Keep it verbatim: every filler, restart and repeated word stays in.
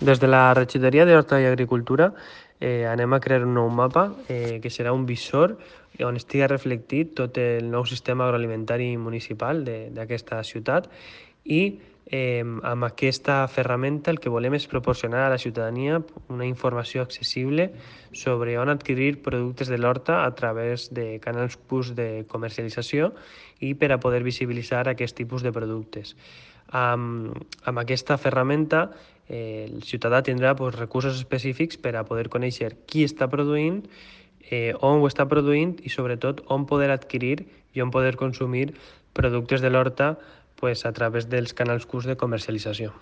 Des de la regidoria d'Horta i Agricultura eh, anem a crear un nou mapa eh, que serà un visor on estigui reflectit tot el nou sistema agroalimentari municipal d'aquesta ciutat i eh, amb aquesta ferramenta el que volem és proporcionar a la ciutadania una informació accessible sobre on adquirir productes de l'horta a través de canals Q de comercialització i per a poder visibilitzar aquest tipus de productes. Amb, amb aquesta ferramenta eh, el ciutadà tindrà pues, recursos específics per a poder conèixer qui està produint, eh, on ho està produint i sobretot on poder adquirir i on poder consumir productes de l'horta pues, a través dels canals Q de comercialització.